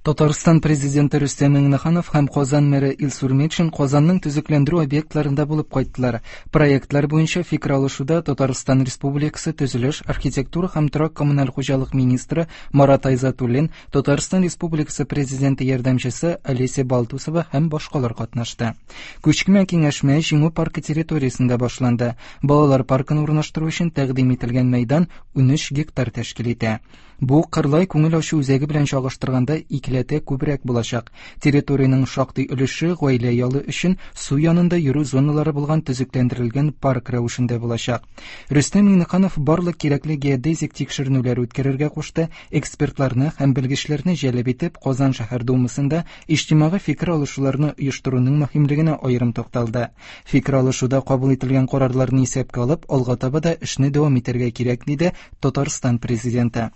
Татарстан Президенты Рөстәм Миңнеханов һәм Казан мэры Илсур Метшин Казанның төзекләндерү объектларында булып кайттылар. Проектлар буенча фикер алышуда Татарстан Республикасы төзелеш, архитектура һәм торак-коммуналь хуҗалык министры Марат Айзатуллин, Татарстан Республикасы Президенты ярдәмчесе Олеся Балтусова һәм башкалар катнашты. Күчмә киңәшмә Җиңү паркы территориясендә башланды. Балалар паркын урнаштыру өчен тәкъдим ителгән мәйдан 13 гектар тәшкил итә. Бу Кырлай күңел ачу үзәге белән чагыштырганда икеләтә күбрәк булачак. Территориянең шактый өлеше гаилә ялы өчен су янында йөрү зоналары булган төзекләндерелгән парк рәвешендә булачак. Рөстәм Миңнеханов барлык кирәкле геодезик тикшеренүләр үткәрергә кушты, экспертларны һәм белгечләрне җәлеп итеп, Казан шәһәр Думасында иҗтимагый фикер алышуларны оештыруның мөһимлегенә аерым тукталды. Фикер алышуда кабул ителгән карарларны исәпкә алып, алга таба да эшне дәвам итәргә кирәк, диде Татарстан Президенты.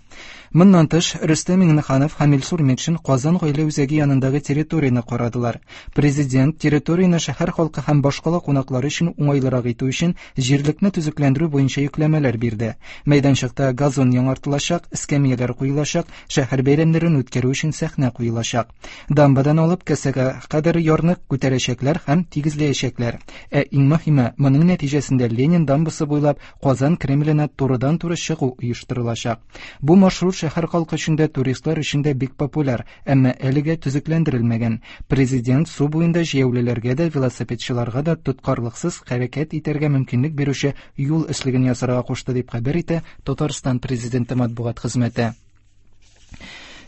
Моннан тыш, Рөстәм Миңнеханов һәм Илсур Метшин Казан гаилә үзәге янындагы территорияне карадылар. Президент территорияне шәһәр халкы һәм башкала кунаклары өчен уңайлырак итү өчен җирлекне төзекләндерү буенча йөкләмәләр бирде. Мәйданчыкта газон яңартылачак, эскәмияләр куелачак, шәһәр бәйрәмнәрен үткәрү өчен сәхнә куелачак. Дамбадан алып кәсәгә кадәр ярны күтәрәчәкләр һәм тигезләячәкләр. Ә иң мөһиме, моның нәтиҗәсендә Ленин дамбасы буйлап Казан Кремленә турыдан-туры чыгу оештырылачак. Бу маршрут шәһәр халкы өчен дә, туристлар өчен дә бик популяр, әмма әлегә төзекләндерелмәгән. Президент су буенда җәяүлеләргә дә, велосипедчыларга да тоткарлыксыз хәрәкәт итәргә мөмкинлек бирүче юл өслеген ясарга кушты, дип хәбәр итә Татарстан Президенты матбугат хезмәте.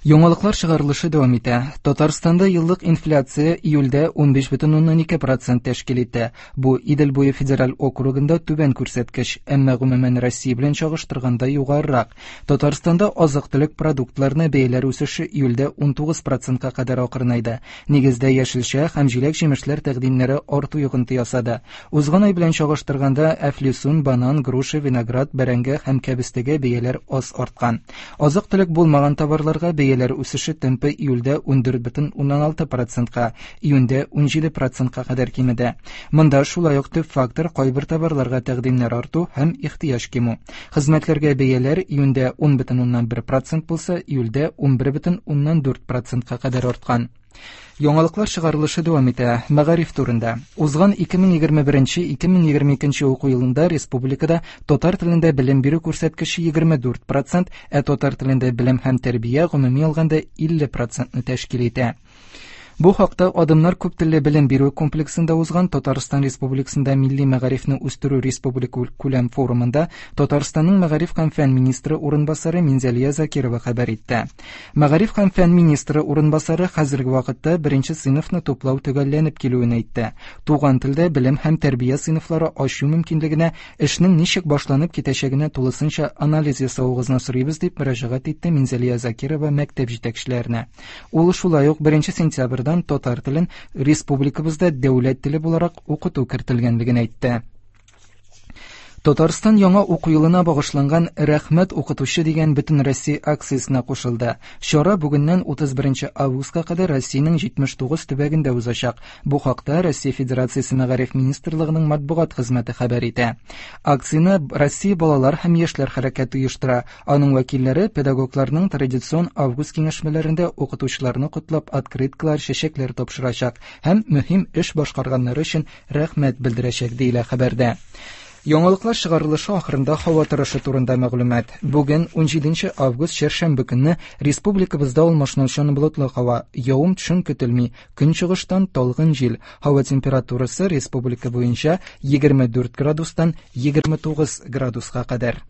Яңалыклар чыгарылышы дәвам итә. Татарстанда еллык инфляция июльдә 15,2% тәшкил итә. Бу Идел буе федераль округында түбән күрсәткеч, әмма гомумән Россия белән чагыштырганда югарырак. Татарстанда азык-төлек продуктларына бәяләр үсеше июльдә 19%-ка кадәр акрынайды. Нигездә яшелчә һәм җиләк-җимешләр тәкъдимнәре арту йогынты ясады. Узган ай белән чагыштырганда әфлисун, банан, груша, виноград, бәрәңге һәм кәбестәгә бәяләр аз арткан. Азык-төлек булмаган товарларга бәяләр үсеше темпы июльдә 14,6 процентка, июньдә 17 процентка кадәр кимеде. Монда шулай ук төп фактор кайбер товарларга тәкъдимнәр арту һәм ихтыяҗ кимү. Хезмәтләргә бәяләр июньдә 10,1 процент булса, июльдә 11,4 процентка кадәр арткан. Яңалыклар чыгарылышы дәвам итә. Мәгариф турында. Узган 2021-2022 уку елында республикада татар телендә белем бирү күрсәткече 24 процент, ә татар телендә белем һәм тәрбия гомуми алганда 50 процентны тәшкил итә. Бу хакта Адымнар күп телле белем бирү комплексында узган Татарстан Республикасында милли мәгарифне үстерү республика күләм форумында Татарстанның мәгариф һәм фән министры урынбасары Минзәлия Закирова хәбәр итте. Мәгариф һәм фән министры урынбасары хәзерге вакытта беренче сыйныфны туплау төгәлләнеп килүен әйтте. Туган телдә белем һәм тәрбия сыйныфлары ачу мөмкинлегенә эшнең ничек башланып китәчәгенә тулысынча анализ ясавыгызны сорыйбыз, дип мөрәҗәгать итте Минзәлия Закирова мәктәп җитәкчеләренә. Ул шулай ук 1 сентябрьдән татар телен республикабызда дәүләт теле буларак укыту кертелгәнлеген әйтте. Татарстан яңа уку елына багышланган Рәхмәт укытучы дигән бөтенроссия акциясенә кушылды. Чара бүгеннән 31 августка кадәр Россиянең 79 төбәгендә узачак. Бу хакта Россия Федерациясе Мәгариф министрлыгының матбугат хезмәте хәбәр итә. Акцияне Россия балалар һәм яшьләр хәрәкәте оештыра. Аның вәкилләре педагогларның традицион август киңәшмәләрендә укытучыларны котлап открыткалар, чәчәкләр тапшырачак һәм мөһим эш башкарганнары өчен рәхмәт белдерәчәк, диелә хәбәрдә. Яңалыклар чыгарылышы ахырында һава торышы турында мәгълүмат. Бүген 17 август чәршәмбе көнне республикабызда алмашынучан болытлы һава, явым-төшем көтелми, көнчыгыштан талгын җил. Һава температурасы республика буенча 24 градустан 29 градуска кадәр.